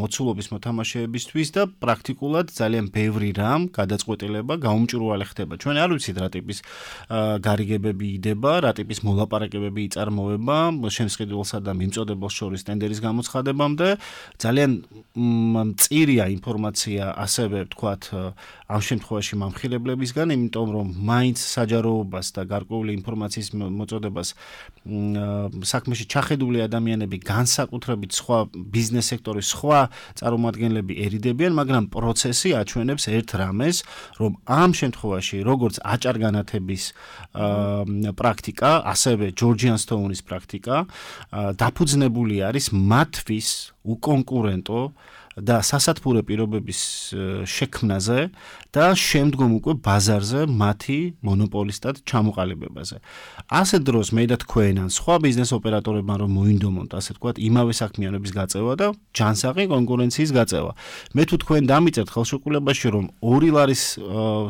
მოცულობის მოთამაშეებისთვის და პრაქტიკულად ძალიან ბევრი რამ გადაწყვეტილება გაუმჭრუალე ხდება. ჩვენ არ ვიცით რა ტიპის გარიგებები იდება, რა ტიპის მოლაპარაკებები იწარმოება შემსყიდველსა და მიმწოდებელს შორის ტენდერის გამოცხადებამდე. ძალიან მწირია ინფორმაცია ასევე ვთქვათ ამ შემთხვევაში მომხილებლებისგან, იმიტომ რომ მაინც საჯაროობას და გარკვეული ინფორმაციის მოწოდებას საქმეში ჩახედული ადამიანები განსაკუთრებით სხვა ბიზნეს სექტორის სხვა წარმომადგენლები ერიდებიან, მაგრამ პროცესი აჩვენებს ერთ რამეს, რომ ამ შემთხვევაში როგორც აჭარგანათების პრაქტიკა, ასევე ჯორჯიან სტოუნის პრაქტიკა დაფუძნებული არის მათთვის უკონკურენტო და სასათბურე პირობების შექმნაზე და შემდგომ უკვე ბაზარზე მათი მონოპოლისტად ჩამოყალიბებაზე. ასე დროს მე და თქვენ ან სხვა ბიზნეს ოპერატორებმა რომ მოინდომონ, ასე ვთქვათ, იმავე საქმიანობის გაწევა და ჯანსაღი კონკურენციის გაწევა. მე თუ თქვენ დამიწერთ ხელშეკრულებაში რომ 2 ლარის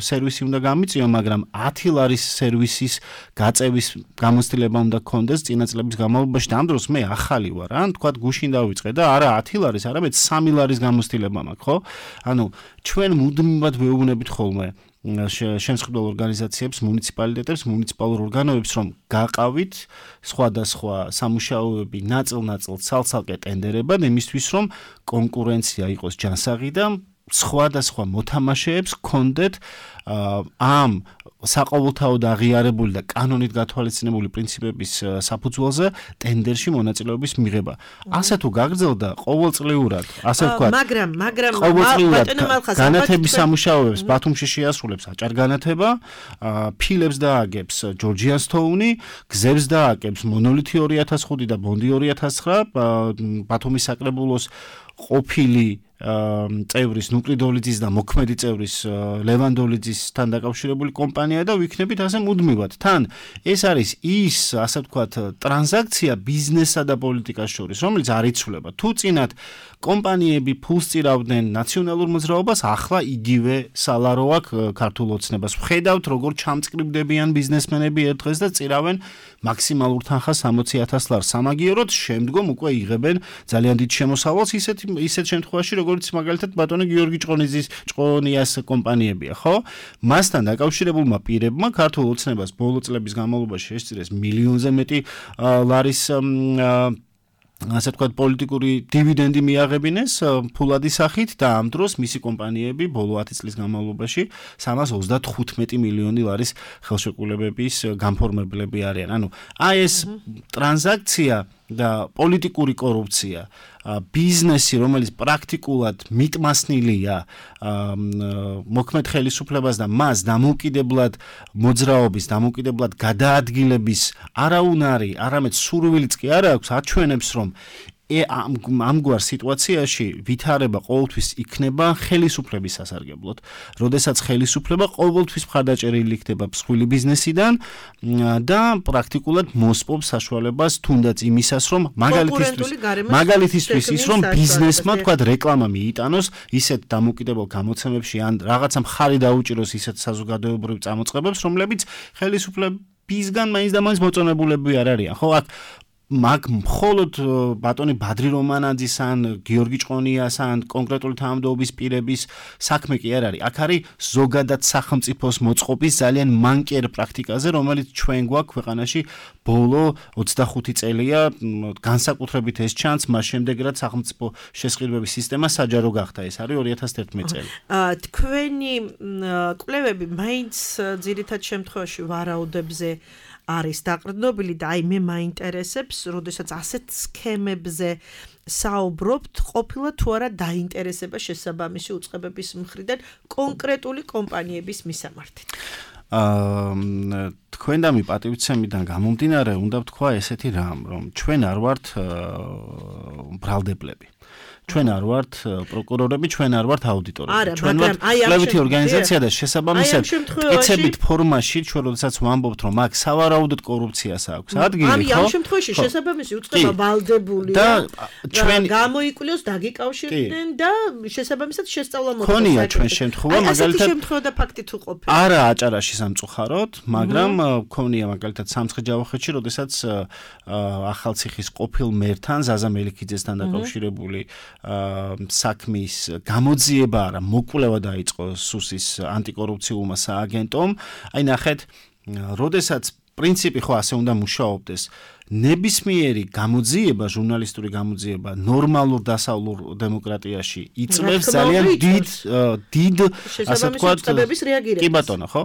სერვისი უნდა გამიწიო, მაგრამ 10 ლარის სერვისის გაწევის გამოცდილება უნდა გქონდეს წინა წლების განმავლობაში, და ამ დროს მე ახალი ვარ, ან თქვათ გუშინ დავიწყე და არა 10 ლარის, არამედ 3 ლარის გამოცდილება მაქვს, ხო? ანუ ჩვენ მუდმივად ვეუბნებით ხოლმე შემსხდელ ორგანიზაციებს, მუნიციპალიტეტებს, მუნიციპალურ ორგანოებს, რომ გაყავით სხვადასხვა სამუშაოები ნაწილ-ნაწილ ცალ-ცალკე ტენდერებად იმისთვის, რომ კონკურენცია იყოს ჯანსაღი და სხვადასხვა მოთამაშეებს გქონდეთ ამ საყოველთაოდ აღიარებული და კანონით გათვალისწინებული პრინციპების საფუძველზე ტენდერში მონაწილეობის მიღება. ასე თუ გაგრძელდა ყოველწლიურად, ასე ვთქვათ, მაგრამ ყოველწლიურად განათების სამუშაოებს ბათუმში შეასრულებს აჭარგანათება, ფილებს დააგებს ჯორჯიანსთოუნი, გზებს დააგებს მონოლითი 2005 და ბონდი 2009, ბათუმის საკრებულოს ყოფილი წევრის ნუკლიდოლიძის და მოქმედი წევრის ლევანდოლიძისთან დაკავშირებული კომპანია და ვიქნებით ასე მუდმივად. თან ეს არის ის, ასე ვთქვათ, ტრანზაქცია ბიზნესსა და პოლიტიკას შორის, რომელიც არ იცვლება. თუ წინათ კომპანიები ფულს წირავდნენ ნაციონალურ მოძრაობას, ახლა იგივე სალარო აქვს ქართულ ოცნებას. ვხედავთ, როგორ ჩამწკრივდებიან ბიზნესმენები ერთ დღეს და წირავენ მაქსიმალურ თანხას 60,000 ლარს. სამაგიეროდ შემდგომ უკვე იღებენ ძალიან დიდ შემოსავალს ისეთ შემთხვევაში, როგორც მაგალითად ბატონი გიორგი ჭყონიას კომპანიებია, ხო? მასთან დაკავშირებულმა პირებმა ქართულ ოცნებას ბოლო წლების განმავლობაში შესწირეს მილიონზე მეტი ლარის ასე ვთქვათ, პოლიტიკური დივიდენდი მიაღებინეს ფულადი სახით და ამ დროს მისი კომპანიები ბოლო 10 წლის განმავლობაში 335 მილიონი ლარის ხელშეკრულებების განფორმებლები არიან. ანუ აი ეს ტრანზაქცია და პოლიტიკური კორუფცია, ბიზნესი, რომელიც პრაქტიკულად მიტმასნილია მოქმედ ხელისუფლებას და მას დამოუკიდებლად მოძრაობის, დამოუკიდებლად გადაადგილების არაუნარი, არამედ სურვილიც კი არ აქვს, აჩვენებს, რომ ამგვარ სიტუაციაში ვითარება ყოველთვის იქნება ხელისუფლების სასარგებლოდ. როდესაც ხელისუფლება ყოველთვის მხარდაჭერილი იქნება მსხვილი ბიზნესიდან და პრაქტიკულად მოსპობს საშუალებას თუნდაც იმისას, რომ მაგალითისთვის ის, რომ ბიზნესმა თქვა რეკლამა მიიტანოს ისეთ დამოუკიდებელ გამოცემებში ან რაღაცა მხარი დაუჭიროს ისეთ საზოგადოებრივ წამოწყებებს, რომლებიც ხელისუფლებისგან მაინც და მაინც მოწონებულები არ არიან. ხო, აქ მაგ მხოლოდ ბატონი ბადრი რომანაძის ან გიორგი ჭყონიას ან კონკრეტული თანამდებობის პირების საქმე კი არ არის. აქ არის ზოგადად სახელმწიფოს მოწყობის ძალიან მანკიერ პრაქტიკაზე, რომელიც ჩვენ გვაქვს ქვეყანაში ბოლო 25 წელია, განსაკუთრებით ეს ჩანს მას შემდეგ, რაც სახელმწიფო შესყიდვების სისტემა საჯარო გახდა. ეს არის 2011 წელი. თქვენი კვლევები მაინც ძირითად შემთხვევაში ვარაუდებზე არის დაყრდნობილი და აი მე მაინტერესებს, როდესაც ასეთ სქემებზე საუბრობთ, ყოფილა თუ არა დაინტერესება შესაბამისი უწყებების მხრიდან კონკრეტული კომპანიების მისამართით. თქვენდამი პატივცემიდან გამომდინარე, უნდა ვთქვა ესეთი რამ, რომ ჩვენ არ ვართ ბრალდებლები. ჩვენ არ ვართ პროკურორები, ჩვენ არ ვართ აუდიტორები. ჩვენ ვართ კვლევითი ორგანიზაცია და შესაბამისად კეთებით ფორმაში, ჩვენ როდესაც ვამბობთ, რომ აქ სავარაუდოდ კორუფციას აქვს ადგილი, ხო? ამ შემთხვევაში შესაბამისი უწყება ვალდებულია და ჩვენ გამოიკვლიოს, დაგიკავშირდნენ და შესაბამისად შესწავლა მოხდეს. ქონია ჩვენ შემთხვევა, მაგალითად ასეთი შემთხვევა და ფაქტი თუ ყოფილა. არა აჭარაში სამწუხაროდ, მაგრამ ქონია მაგალითად სამცხე-ჯავახეთში, როდესაც ახალციხის ყოფილ მერთან ზაზა მელიქიძესთან დაკავშირებული საქმის გამოძიება არა მოკვლევა დაიწყო სუსის ანტიკორუფციულმა სააგენტომ. აი ნახეთ, როდესაც პრინციპი ხო ასე უნდა მუშაობდეს, ნებისმიერი გამოძიება, ჟურნალისტური გამოძიება ნორმალურ დასავლურ დემოკრატიაში იწვევს ძალიან დიდ ასე ვთქვათ კი ბატონო, ხო?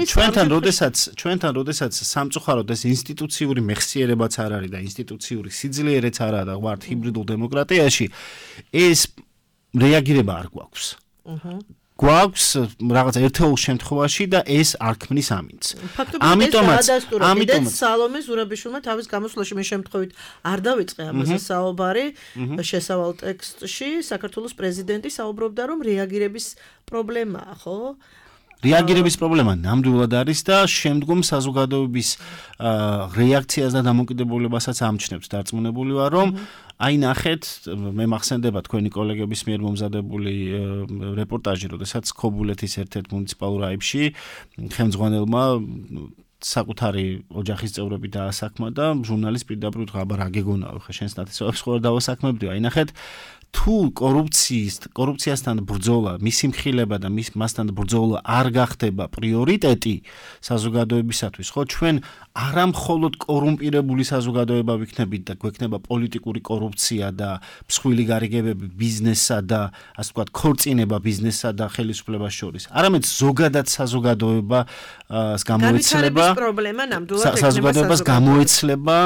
ჩვენთან როდესაც სამწუხაროდ ეს ინსტიტუციური მეხსიერებაც არ არის და ინსტიტუციური სიძლიერეც არ არის და ვართ ჰიბრიდულ დემოკრატიაში, ეს რეაგირება არ გვაქვს. გვაქვს რაღაცა ერთეულ შემთხვევაში და ეს არ ქმნის ამინდს. ამიტომაც სალომე ზურაბიშვილმა თავის გამოსვლაში მე შემთხვევით არ დავიწყე ამაზე საუბარი შესავალ ტექსტში საქართველოს პრეზიდენტი საუბრობდა რომ რეაგირების პრობლემაა, ხო? რეაგირების პრობლემა ნამდვილად არის და შემდგომ საზოგადოების რეაქციას და დამოკიდებულებასაც ამჩნევს. დარწმუნებული ვარ, რომ აი ნახეთ, მე მახსენდება თქვენი კოლეგების მიერ მომზადებული რეპორტაჟი, როდესაც ქობულეთის ერთ-ერთ მუნიციპალურ აივში ხელმძღვანელმა საკუთარი ოჯახის წევრები დაასაქმა და ჟურნალისტ პირდაპირ უთხრა, აბა რა გეგონავ, ხა შენს ნათესავებს ხوار დავასაქმებდიო. აი ნახეთ, თუ კორუფციასთან ბრძოლა, მისი მხილება და მასთან ბრძოლა არ გახდება პრიორიტეტი საზოგადოებისათვის, ხო, ჩვენ არა მხოლოდ კორუმპირებული საზოგადოება ვიქნებით და გვექნება პოლიტიკური კორუფცია და მსხვილი გარიგებები ბიზნესსა და ასე ვთქვათ, ქორწინება ბიზნესსა და ხელისუფლებას შორის. არამედ ზოგადად საზოგადოებას გამოეცლება პრობლემა ნამდვილად საზოგადოებას გამოეცლება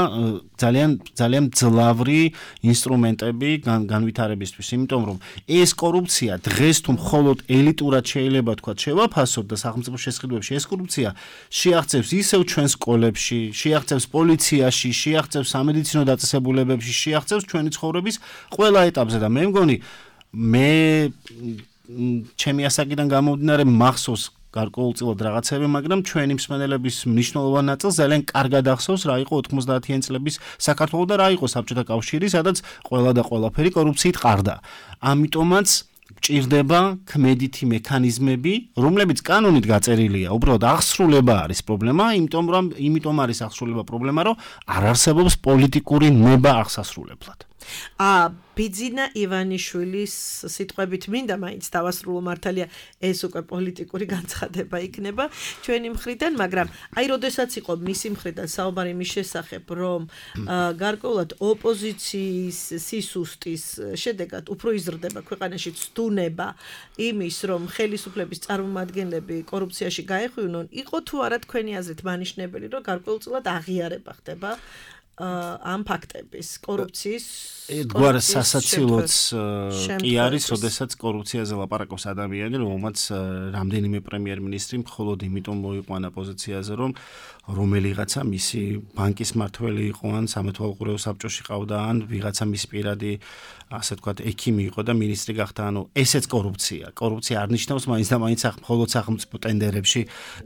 ძალიან ძლავრი ინსტრუმენტები განვითარებისთვის, იმიტომ რომ ეს კორუფცია დღეს თუ მხოლოდ ელიტურად შეიძლება თქვათ შევაფასოთ და სახელმწიფო შესყიდვებში ეს კორუფცია შეაღწევს ისევ ჩვენს სკოლებში, შეაღწევს პოლიციაში, შეაღწევს სამედიცინო დაწესებულებებში, შეაღწევს ჩვენი ცხოვრების ყველა ეტაპზე და მე მგონი ჩემი ასაკიდან გამომდინარე მახსოვს გარკვეულწილად რაღაცები, მაგრამ ჩვენი მსმენელების მნიშვნელოვან ნაწილს ძალიან კარგად ახსოვს რა იყო 90-იან წლების საქართველო და რა იყო საბჭოთა კავშირი, სადაც ყველა და ყველაფერი კორუფციით ყარდა. ამიტომაც გჭირდება ქმედითი მექანიზმები, რომლებიც კანონით გაწერილია. უბრალოდ აღსრულება არის პრობლემა, იმიტომ არის აღსრულება პრობლემა, რომ არ არსებობს პოლიტიკური ნება აღსასრულებლად. ბიძინა ივანიშვილის სიტყვებით მინდა მაინც დავასრულო, მართალია ეს უკვე პოლიტიკური განცხადება იქნება ჩვენი მხრიდან, მაგრამ აი როდესაც იყო მისი მხრიდან საუბარი მის შესახებ, რომ გარკვეულად ოპოზიციის სისუსტის შედეგად უფრო იზრდება ქვეყანაში ცდუნება იმის, რომ ხელისუფლების წარმომადგენლები კორუფციაში გაეხვივნონ, იყო თუ არა თქვენი აზრით მანიშნებელი, რომ გარკვეულწილად აღიარება ხდება ამ ფაქტების კორუფციის გვარ სასაცილოც კი არის, როდესაც კორუფციაზე ლაპარაკობს ადამიანი, რომელმაც რამდენიმე პრემიერ-მინისტრი მხოლოდ იმიტომ მოიყვანა პოზიციაზე, რომ რომელიღაცა მისი ბანკის მმართველი იყო, ან სამეთვალყურეო საბჭოში ყავდა, ან ვიღაცა მისი პირადი, ასე ვთქვათ, ექიმი იყო და მინისტრი გახდა. ანუ ესეც კორუფცია. კორუფცია არ ნიშნავს მაინც და მაინც მხოლოდ სახელმწიფო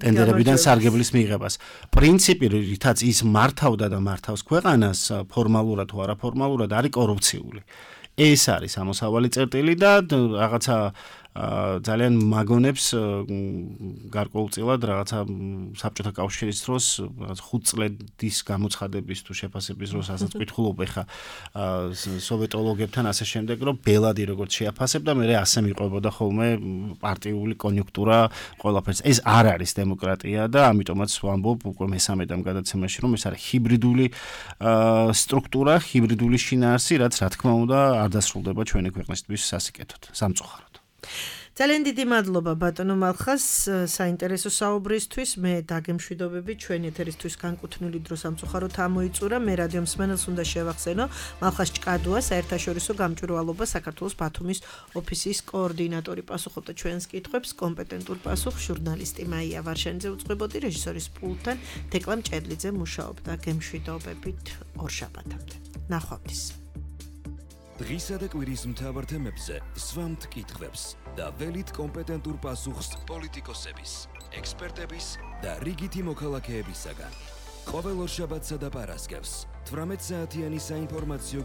ტენდერებიდან სარგებლის მიღებას. პრინციპი, რითაც ის მართავდა და მართავს ქვეყანას, ფორმალურად თუ არაფორმალურად არის კორუფციული. ეს არის ამოსავალი წერტილი და რაღაცა ძალიან მაგონებს გარკვეულწილად რაღაცა საბჭოთა კავშირის დროს 5 წლების გამოცხადების თუ შეფასების დროს ასაც ვკითხულობ ეხა სოვიეტოლოგებთან ასე შემდეგ, რომ ბელადი როგორც შეაფასებდა, მე ასე მიყვებოდა ხოლმე პარტიული კონიუნქტურა ყველაფერს. ეს არ არის დემოკრატია და ამიტომაც ვამბობ უკვე მესამედამ გადაცემაში, რომ ეს არის ჰიბრიდული სტრუქტურა, ჰიბრიდული შინაარსი, რაც რა თქმა უნდა არ დასრულდება ჩვენი ქვეყნისთვის სასიკეთოდ, სამწუხაროდ. ძალიან დიდი მადლობა ბატონო მალხას საინტერესო საუბრისთვის. მე დაგემშვიდობები, ჩვენი ეთერისთვის განკუთვნილი დრო სამწუხაროდ ამოიწურა. მე რადიო მსმენელს უნდა შევახსენო მალხას ჭკადუა, საერთაშორისო გამჭვირვალობა საქართველოს ბათუმის ოფისის კოორდინატორი, პასუხობდა ჩვენს კითხვებს, კომპეტენტურ პასუხს ჟურნალისტი მაია ვარშანიძე უძღვებოდი, რეჟისორის პულტთან თეკლა მჭედლიძე მუშაობდა. გემშვიდობებით ორშაბათამდე. ნახვამდის. დღისა და კვირის მთავარ თემებზე სვამთ კითხვებს და ველით კომპეტენტურ პასუხს პოლიტიკოსების, ექსპერტების და რიგითი მოქალაქეებისაგან. ყოველ ორშაბათსა და პარასკევს 18 საათიანი საინფორმაციო